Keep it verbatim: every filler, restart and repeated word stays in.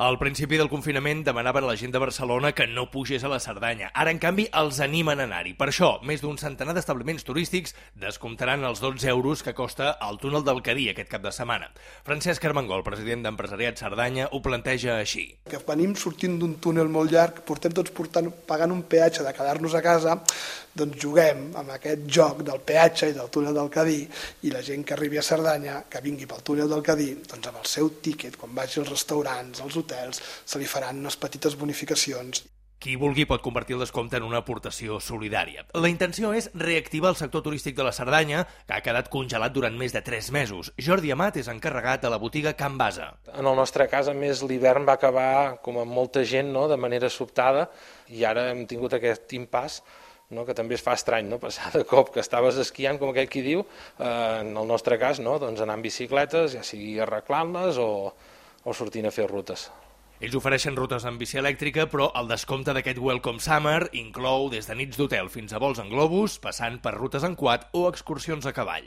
Al principi del confinament demanaven a la gent de Barcelona que no pugés a la Cerdanya. Ara, en canvi, els animen a anar-hi. Per això, més d'un centenar d'establiments turístics descomptaran els dotze euros que costa el túnel del Cadí aquest cap de setmana. Francesc Armengol, president d'Empresariat Cerdanya, ho planteja així. Que venim sortint d'un túnel molt llarg, portem tots portant, pagant un peatge de quedar-nos a casa, doncs juguem amb aquest joc del peatge i del túnel del Cadí, i la gent que arribi a Cerdanya, que vingui pel túnel del Cadí, doncs amb el seu tíquet, quan vagi als restaurants, als hotels, se li faran unes petites bonificacions. Qui vulgui pot convertir el descompte en una aportació solidària. La intenció és reactivar el sector turístic de la Cerdanya, que ha quedat congelat durant més de tres mesos. Jordi Amat és encarregat a la botiga Can Basa. En el nostre cas, a més, l'hivern va acabar, com amb molta gent, no?, de manera sobtada, i ara hem tingut aquest impàs, no?, que també es fa estrany, no?, passar de cop que estaves esquiant, com aquell qui diu, eh, en el nostre cas, no?, doncs anar amb bicicletes, ja sigui arreglant-les o, o sortint a fer rutes. Ells ofereixen rutes amb bici elèctrica, però el descompte d'aquest Welcome Summer inclou des de nits d'hotel fins a vols en globus, passant per rutes en quad o excursions a cavall.